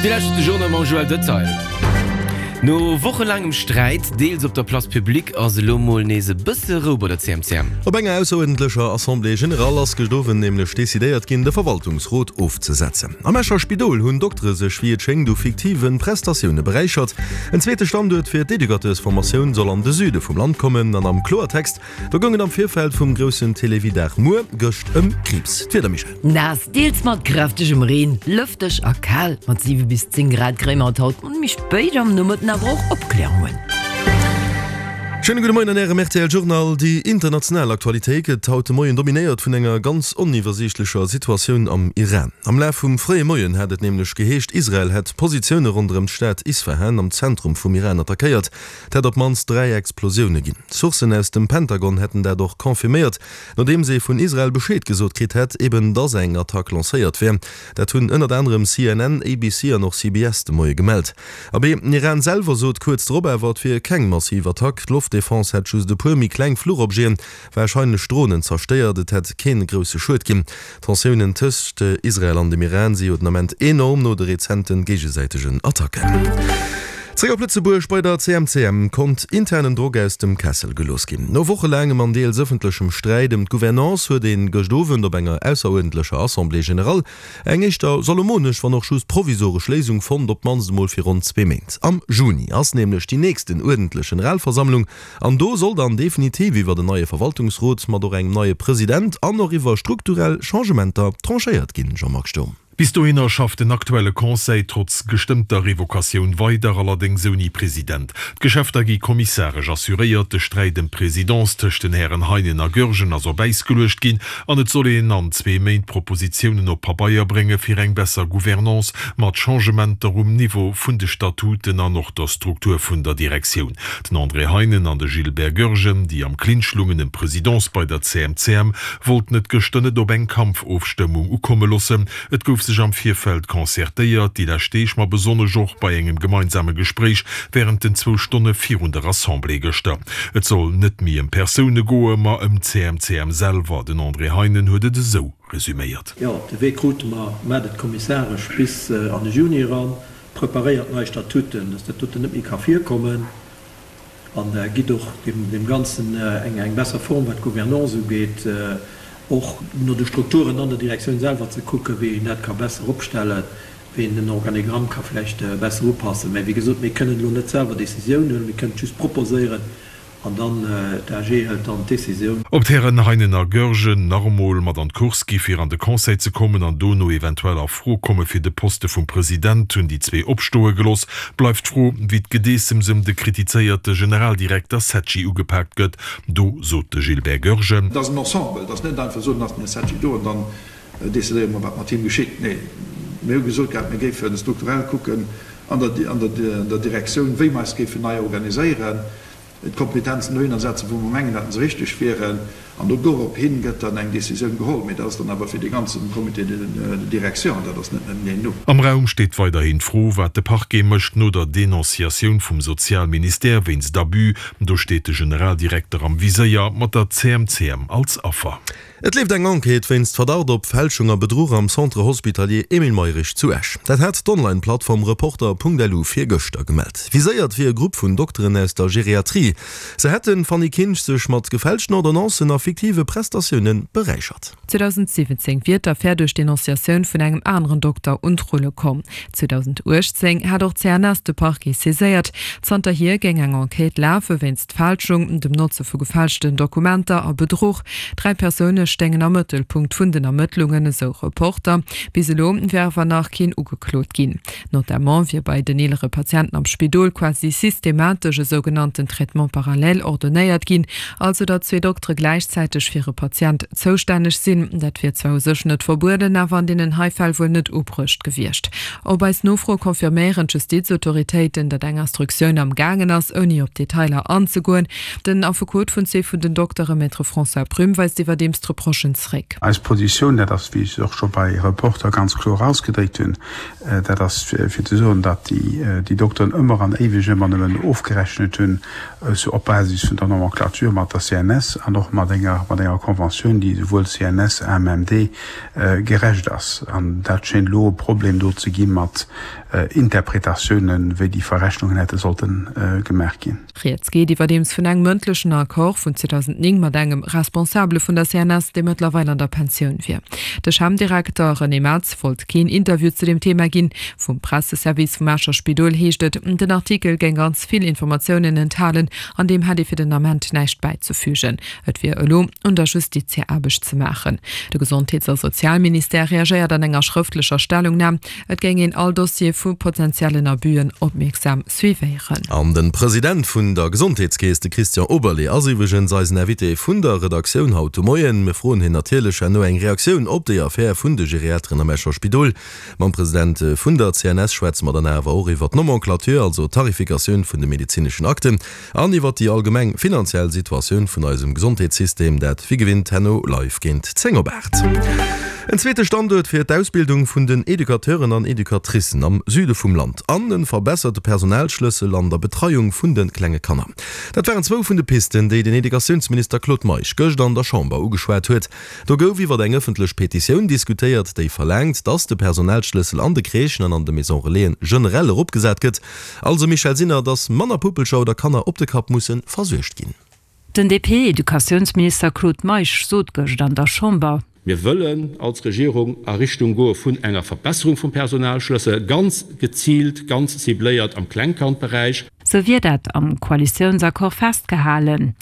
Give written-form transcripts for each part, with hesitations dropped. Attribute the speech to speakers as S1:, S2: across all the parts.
S1: Dir lauschtert de Journal mam Joël Detail. No wochelaangem Sträit, deels op der Place publique, ass elo mol nees e bësse Rou bei der CMCM.
S2: Op enger ausseruerdentlecher Assemblée générale ass gëscht Owend nämlech decidéiert ginn, de Verwaltungsrot ofzesetzen. Am Escher Spidol hunn Doktere sech wéi et schéngt u fiktive Prestatioune beräichert. En zweete Standuert fir d'Educateursformatioun soll an de Süde vum Land kommen. An am Kloertext, Do goung et am Virfeld vum groussen Télévie-Dag muer, gëscht, ëm Kriibs. D'Wieder,
S3: Michèle? Naass, deels mat kräftegem Reen, lëfteg a kal. Mat 7 bis 10 Grad kréie mer et haut méi spéit am Nomëtten awer och Opklärungen.
S2: Schéine gudde Moien an Ärem rtl Journal. Déi international Aktualitéit gëtt haut de Moien dominéiert vun enger ganz oniwwersiichtlecher Situatioun am Iran. Am Laf vum fréie Moien hat et nämlech geheescht, Israel hätt Positioune ronderëm d'Stad Isfahan am Zentrum vum Iran attackéiert. Et hätt op d'mannst 3 Explosioune ginn. Sourcen aus dem Pentagon hätten dat och confirméiert, nodeems ee vun Israel Bescheed gesot kritt hätt, eben dass eng Attack lancéiert wär. Dat hunn ënnert anerem CNN, ABC an och CBS de Moie gemellt. Abee, den Iran selwer sot kuerz drop awer, et wier keng massiv Attack. D'Loftdefense hätt just e puer méi kleng Fluchobjeten, warscheinlech Dronen, zerstéiert. Et hätt kee grousse Schued ginn. D'Tensiounen tëscht Israel an dem Iran si jo den Ament enorm no de rezente géigesäitegen Attacken. Zréck op Lëtzebuerg, Bei der CMCM konnt internen Drock aus dem Kessel gelooss ginn. No wochelaangem an deels ëffentlechem Sträit ëm d'Gouvernance huet een gëscht Owend op enger ausseruerdentlecher Assemblée générale eng éischter salomonesch, wann och just provisoresch Léisung fonnt, op d'mannst emol fir ronn zwee Méint. Am Juni ass nämlech déi nächsten uerdentlech Generalversammlung An do soll dann definitiv iwwert en neie Verwaltungsrot mat och engem neie President an och iwwer strukturell Changementer tranchéiert ginn, Jean-Marc Sturm.
S4: Bis dohinner schafft den aktuelle Conseil trotz gestëmmter Revocatioun weider, allerdéngs ouni President. D'Geschäfter gi kommissaresch assuréiert, de Sträit ëm d'Presidence tëscht den Hären Heinen a Goergen ass op Äis geluecht ginn an et soll een an zwee Méint Propositiounen op Pabeier brénge fir eng besser Gouvernance mat Changementer um Niveau vun de Statuten an och der Struktur vun der Direktioun. Den André Heinen an de Gilbert Goergen, déi am Clinch lungen ëm d'Presidence bei der CMCM, wollten et gëschter net op eng Kampfofstëmmung ukomme loossen. Et gouf sech am Virfeld concertéiert, déi lescht Deeg, ma besonnesch och bei engem gemeinsame Gespréich wärend den zwou Stonne virun der Assemblée gëschter. Et soll net méi ëm Persoune goe, ma ëm d'CMCM selwer. Den André Heinen huet et esou resuméiert.
S5: Jo, de Wee krute mer, mä et kommissaresch bis an de Juni eran. Preparéiert nei Statuten, dass dat doten net méi ka virkommen, an gitt och deem Ganzen eng besser Form, wat d'Gouvernance ugeet, och no de Strukturen an der Direktioun selwer ze kucken, wéi een dat ka besser opstellen, wéi een den Organigramm ka vläicht besser upassen. Mä wéi gesot, mir kënnen elo net selwer Décisiounen huelen, mir kënnen et just proposéieren. An dann, d'AG hëlt dann d'Décisioun.
S4: Ob d'Hären Heinen a Goergen nach emol mat an d'Course gi fir an de Conseil ze kommen an dono eventuell a Fro komme fir de Poste vum President, hunn déi zwee opstoe gelooss. Bleift d'Fro, wéi d'Gedeessems ëm de kritizéierte Generaldirekter Secci ugepaakt gëtt. Do sot de Gilbert Goergen.
S6: Et ass en Ensemble, et ass net einfach soen, ass den Här Secci do an dann decidéiere mer, wat mat him geschitt. Nee, mir hu gesot gehat, mir géife strukturell kucken an der Direktioun, wéi mer eis géifen nei organiséieren. d'Kompetenzen dohinner setzen, wou mer mengen, datt se richteg wieren, an do dorop hin gëtt dann eng Décisioun geholl. Mee dat ass dann awer fir dee ganze Comité de direction, an dat ass net nëmmen een Numm.
S4: Am Raum steet weiderhin d'Fro, wat de Parquet mécht no der Denonciatioun vum Sozialministère wéinst Abus. Do steet de Generaldirekter am Viséier, mat der CMCM als Affer.
S2: Et leeft eng Enquête wéinst Verdacht op Fälschung a Bedruch am Centre Hospitalier Emile Mayrisch zu Esch. Dat hat d'Online-Plattform Reporter.lu virgëschter gemellt. Viséiert wier e Grupp vun Dokteren aus der Geriatrie. Se hätten, Fanny Kinsch, sech mat gefälschten Ordonnancen a fiktive Prestatioune beräichert.
S7: 2017 wier d'Affär duerch d'Denonciatioun vun engem aneren Dokter un d'Rulle komm. 2018 hat och d'CNS de Parquet saiséiert. Zanterhier géing eng Enquête lafe wéinst Fälschung, dem Notze vu gefälschten Dokumenter a Bedruch. Dräi Persoune stéingen am Mëttelpunkt vun den Ermëttlungen, esou Reporter. Bis elo wär awer nach keen ugeklot ginn. Notamment wier bei den eelere Patienten am Spidol quasi systematesch e sougenannten Traitement parallèle ordonéiert ginn, also datt zwee Doktere gläichzäiteg fir e Patient zoustänneg sinn. Dat wier zwar u sech net verbueden, awer an deenen hei Fäll wuel net ubruecht gewiescht. Op eis Nofro confirméieren d'Justizautoritéiten, datt eng Instruktioun am gaangen ass, ouni op Detailer anzegoen. Den Affekot vun zwee vun den Doktere, Maître François Prüm, weist iwwerdeems d'Reprochen zréck.
S8: Eis Positioun, dat ass, wéi ech se och scho bei Reporter ganz kloer ausgedréckt hunn, dat ass fir ze soen, datt déi Dokteren ëmmer an éiweg ëmmer nëmmen ofgerechnet hunn op Basis vun der Nomenclature mat der CNS an och mat enger. enger, mat enger Conventioun, déi esouwuel CNS, AMMD gerecht ass. An dat schéint elo e Problem do ze gi mat Interpretatiounen, wéi déi Verrechnungen hätte sollte gemaach ginn.
S7: Rieds geet iwwerdeems vun engem mëndlechen Accord vun 2009 mat engem Responsabele vun der CNS, dee mëttlerweil an der Pensioun wier. De CHEM-Direkter René Metz wollt keen Interview zu deem Thema ginn. Vum Presseservice vum Escher Spidol heescht et, den Artikel géing ganz vill Informatiounen enthalen an deem hätt ee fir den Ament näischt bäizefügen. Et wier elo un der Justiz hir Aarbecht ze maachen. De Gesondheets a Sozialministère reagéiert an enger schrëftlecher Stellungnam, Et géing een all Dossier vu potentiellen Abusen opmierksam suivéieren.
S2: An de President vun der Gesondheetskeess, de Christian Oberlé, ass iwwregens eisen Invité vun der Redaktioun haut de Moien. Mir froen hien natierlech herno eng Reaktioun op déi Affär vun de Geriateren am Escher Spidol. Mam President vun der CNS schwätze mer dann awer och iwwer d'Nomenclature, also d'Tarifikatioun vun de medezineschen Akten. An iwwert déi allgemeng finanziell Situatioun vun eisem Gesondheetssystem, dat wéi gewinnt herno live géint 10 op 8. En zweete Standuert fir d'Ausbildung vun den Educateuren an Educatricen am Süde vum Land an e verbesserte Personalschlëssel an der Betreiung vun de klenge Kanner. Dat waren zwou vun de Pisten, déi den Educatiounsminister Claude Meisch gëscht an der Chamber ugeschwat huet. Do gouf iwwer eng ëffentlech Petitioun diskutéiert, déi verlaangt, dass de Personalschlëssel an de Crèchen an an de Maison Relaisen generell eropgesat gëtt. Also Michèle Sinner, dass manner Puppelcher oder Kanner op de Kapp musse versuergt ginn.
S9: Den DP-Educatiounsminister Claude Meisch sot gëscht an der Chamber.
S10: Mir wëllen als Regierung a Richtung goe vun enger Verbesserung vum Personalschlëssel, ganz geziilt, ganz cibléiert am Klengkandberäich.
S9: Sou wier dat am Koalitiounsaccord festgehalen.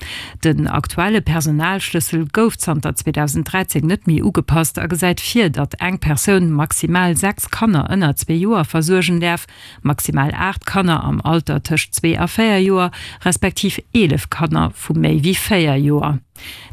S9: Den aktuelle Personalschlëssel gouf zanter 2013 net méi ugepasst a gesäit vir, datt eng Persoun maximal 6 Kanner ënner zwee Joer versuergen däerf, Maximal 8 Kanner am Alter tëscht zwee a véier Joer, respektiv 11 Kanner vu méi wéi véier Joer.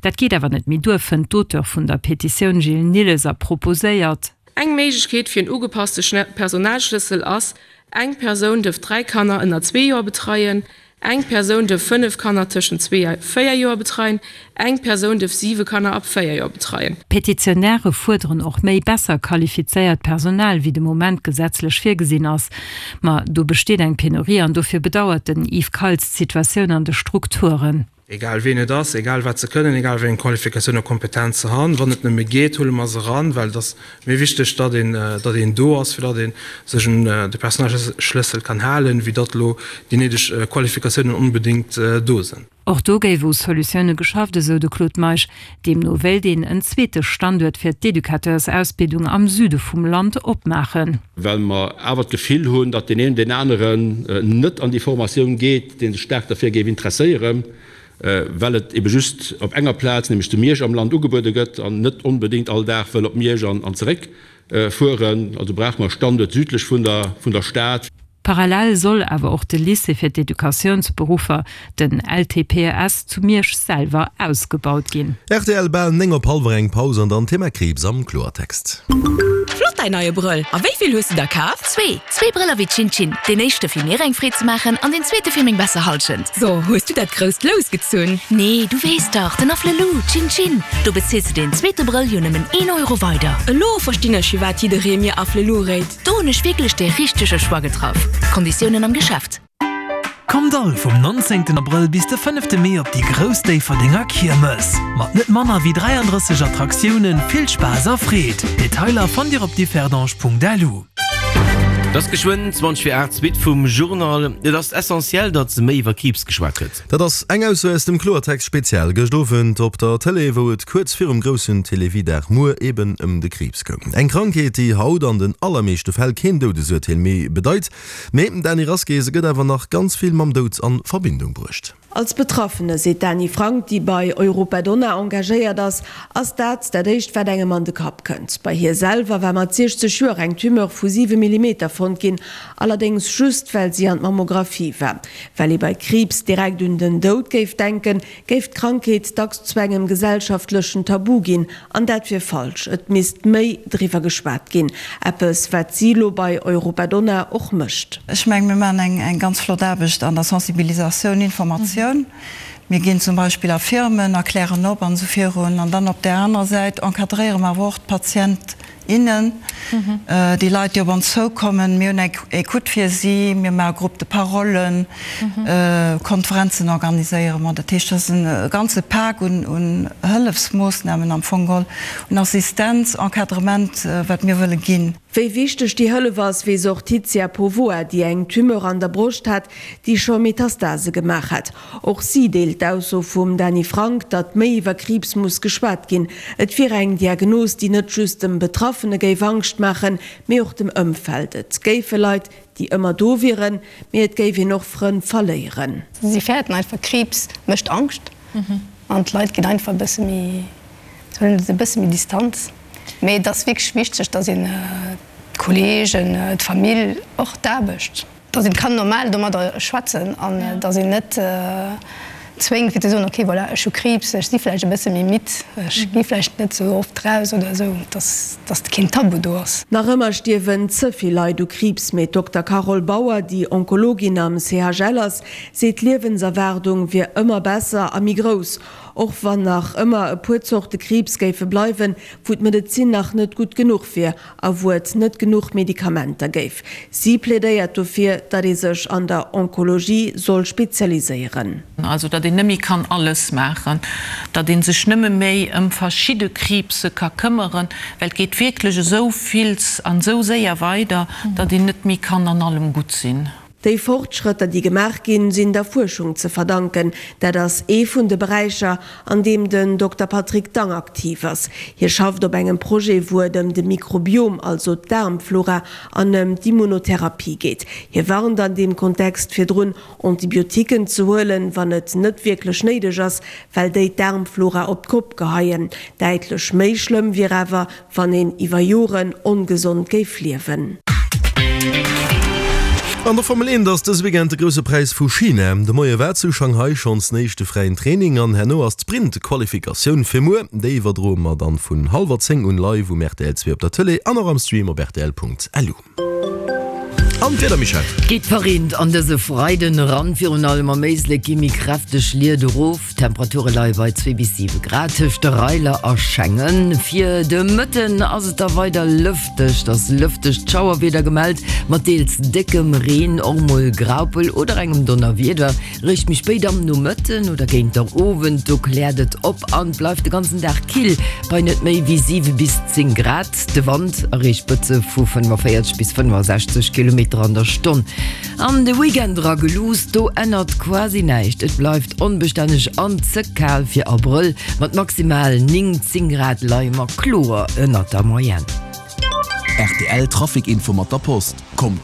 S9: Dat geet awer net méi duer, fënnt d'Auteur vun der Petitioun Gilles Nilles a proposéiert.
S11: Eng Méiglechkeet fir en ugepasste Personalschlëssel ass, Eng Persoun duerf 3 Kanner ënner zwee Joer betreien, Eng Persoun duerf 5 Kanner tëschent zwee a véier Joer betreien. Eng Persoun duerf 7 Kanner ab 4 Joer betreien.
S9: D'Petitionäre fuerderen och méi besser qualifizéiert Personal, wéi de Moment gesetzlech virgesinn ass. Ma do besteet eng Penurie an dofir bedauert den Yves Kaltz d'Situatioun an de Strukturen.
S12: Egal ween et ass, egal wat se kënnen, egal wéi eng Qualifikatioun a Kompetenz se han, wann et nëmme geet, huele mer se eran, well et ass méi wichteg, datt een, datt een do ass, fir datt ee sech un de Personalschlëssel kann halen, wéi datt elo déi néideg Qualifikatiounen onbedéngt do sinn.
S9: Och do géif u Solutioune geschafft, esou de Claude Meisch. Deemno wéilt een en zweete Standuert fir d'Educateursausbildung am Süde vum Land opmaachen.
S10: Well mer awer d'Gefill hunn, datt deen een deen aneren net an déi Formatioun geet, dee sech staark derfir géif interesséieren, well et ebe just op enger Plaz, nämlech zu Miersch am Land ugebuede gëtt an net onbedéngt all Dag wëll op Miersch an zeréck fueren. Also brauche mer e Standuert südlech vun der Stad.
S9: Parallel soll awer och de Lycée fir d'Educatiounsberuffer, den LTPES, zu Miersch selwer ausgebaut ginn.
S2: Rtl, Bal 9 op hallwer eng Paus an dann Thema Kriibs am Kloertext.
S13: Flott däin neie Brëll! A wéi vill hues de der kaf?
S14: Zwee! Zwee Brëller wéi Chin-Chin. Deen éischte fir mir eng Freed ze maachen an deen zweete fir meng besser Halschent.
S13: So, hues du dat grousst Lous gezunn?
S14: Nee, du weess dach, den Afflelou, Chin-Chin! Do bezils de deen zweete Brëll jo nëmmen een Euro weider.
S13: Elo verstinn ech firwat jidderee mir Afflelou réit.
S14: Do hunn ech wierklech dee richtege Choix getraff. Konditiounen am Geschäft.
S15: Kommt all vum 19 Abrëll bis de 5 Mee op déi grouss Déifferdenger Kiermes! Mat net manner wéi 33 Attraktiounen, vill Spaass a Freed! Detailer fannt dir op differdange.lu.
S1: Et ass geschwënn 20 vir 8, d'Suite vum Journal. Et ass essentiell, datt méi iwwer Kriibs geschwat gëtt.
S2: Dat ass eng Ausso aus dem Kloertext Spezial gëscht Owend op der Tëlee, wou et kuerz virum groussen Télévie-Dag muer eben ëm de Kriibs goung. Eng Krankheet, déi haut an den allermeeschte Fäll keen Doudesurteel méi bedeit. Mee, Dany Rasqué, se gëtt awer nach ganz vill mam Doud an Verbindung bruecht.
S16: Als Betraffene, seet d'Dany Frank, déi bei Europa Donna engagéiert ass, ass dat dat éischt wat engem an de Kapp kënnt. Bei hir selwer war mat 60 Joer eng Tumeur vu 7 Millimeter fonnt ginn, allerdéngs just well si an d'Mammographie war. Well ee bei Kriibs direkt un den Doud géif denken, géif d'Krankheet dacks zu engem gesellschaftlechen Tabu ginn. An dat wier falsch. Et misst méi driwwer geschwat ginn. Eppes, wat si lo bei Europa Donna och mécht.
S17: Ech mengen, mir maachen eng ganz flott Aarbecht an der Sensibilisatioun, Informatioun. Mir ginn zum Beispill a Firmen, erklären op an esou virun. An dann op där anerer Säit encadréiere mer awer och d'Patient. Innen, déi Leit, déi op ons zoukommen. Mir hunn eng Ecoute fir si, mir maache Groupe de parollen, Konferenzen organiséiere mer. Dat heescht, dat ass e ganze Pak un Hëllefsmoossnamen am Fong geholl, un Assistenz, Encadrement, wat mir wëlle ginn.
S16: Wéi wichteg déi Hëllef ass, weess och d'Titia Povoa, déi eng Tumeur an der Broscht hat, déi scho Metastase gemaach hat. Och si deelt d'Ausso vum Dany Frank, datt méi iwwer Kriibs muss geschwat ginn. Et wier eng Diagnos, déi net just dem Betraffene géif Angscht maachen, mee och dem Ëmfeld. Et géife Leit, déi ëmmer do wieren, mee et géif een och Frënn verléieren.
S18: Si fäerten einfach, Kriibs mécht Angscht an d'Leit ginn einfach e bësse méi, se huelen et e bësse méi Distanz. Mee et ass wierklech wichteg, datt een d'Kolleegen, d'Famill, och d'Aarbecht, Dass een kann normal domadder schwätzen an dass een net zwéngt fir ze soen, ok voilà, ech hu Kriibs, ech si vläicht e bësse méi midd, ech gi vläicht net esou oft raus oder esou, dass dass keen Tabu do ass.
S16: Nach ëmmer stierwen ze vill Leit u Kriibs, mee d'Dokter Carole Bauer, déi Onkologin am CHL ass, seet d'Liewenserwaardung wier ëmmer besser a méi grouss, och wann nach ëmmer e puer Zorte Kriibs géife bleiwen, wou d'Medezin nach net gutt genuch wier. A wou et net genuch Medikamenter géif. Si plädéiert dofir, datt ee sech an der Onkologie soll spezialiséieren.
S19: Also datt een net méi kann alles maachen, datt ee sech nëmme méi ëm verschidde Kriibse ka këmmeren, well et geet wierklech esou vills an esou séier weider, datt een net méi kann an allem gutt sinn.
S16: Déi Fortschrëtter, déi gemaach ginn, sinn der Fuerschung ze verdanken. Dat ass ee vun de Beräicher, an deem den Dokter Patrick Dang aktiv ass. Hie schafft op engem Projet, wou et ëm de Mikrobiom, also d'Daarmflora, an ëm d'Immunotherapie geet. Hie warnt an deem Kontext virdrun, Antibiotiquen ze huelen, wann et net wierklech néideg ass, well déi d'Daarmflora op d'Kopp geheien. Däitlech méi schlëmm wier awer, Wann een iwwer Joren ongesond géif liewen.
S2: An der Formel 1 ass dëse Weekend de Grousse Präis vu China. De Moie war zu Shanghai schonns den éischte fräien Training an herno ass d'Sprint-Qualifikatioun fir muer. Déi iwwerdroe mer dann vun hallwer 10 un live um rtl 2 op der Tëlee an och am Stream op rtl.lu. An d'Wieder, Michèle?
S3: Geet verreent an dëse Freiden eran, virun allem am Éislek gi méi kräfteg Liet erof. D'Temperature leie bei 2 bis 7 Grad tëscht de Reiler a Schengen. Fir de Mëtten ass et da weider lëfteg, et ass lëftegt Schauerwieder gemellt, mat deels déckem Reen, och mol Graupel oder engem Donnerwieder. Réischt méi spéit am Nomëtten oder géint der Owend, do kläert et op an bleift de ganzen Dag kill, bei net méi wéi 7 bis 10 Grad. De Wand erreecht Spëtze vu 45 bis 65 Kilometer an der Stonn. An de Weekend era geluusst, do ännert quasi näischt, et bleift onbestänneg an ze kal fir Abrëll. Mat maximal 9, 10 Grad leie mer kloer ënnert der Moyenne.
S20: Rtl Trafic Info mat der Post. Kommt.